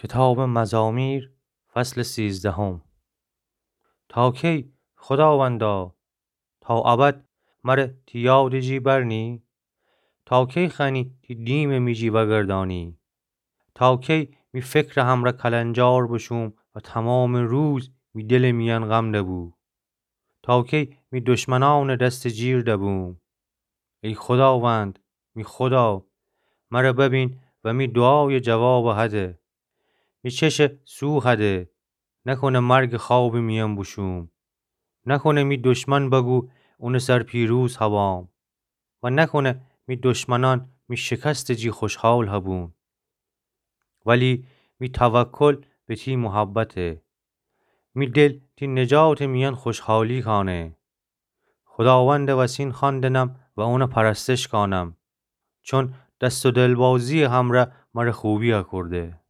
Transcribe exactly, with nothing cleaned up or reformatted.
کتابٚ مزامیر، فصلٚ سیزدهم. تا کی، خوداوندا، تا ابد مره تی یادٚ جی برنی؟ تا کی خوأنی تی دیمٚ می جی وأگردأنی؟ تا کی می فکرٚ همرأ کلنجار بوشوم و تومامٚ روز می دلٚ میأن غم دبو؟ تا کی می دشمنأنٚ دستٚ جیر دبوم؟ ای خوداوند، می خودا، مره ببین و می دوعایٚ جوابٚ هده. می چشٚ سو هده، نکنه مرگٚ خوابٚ میأن بوشوم. نکنه می دشمن بگو اونٚ سر پیروز هوام و نکنه می دشمنأن می شکستٚ جی خوشحال هبون. ولی می توکل به تی محبته. می دل تی نجاتٚ میأن خوشحالی کانه. خوداوندٚ وسین خوأندنم و اونٚ پرستش کانم، چون دست و دلبازیٚ همرأ مره خوبی اکورده.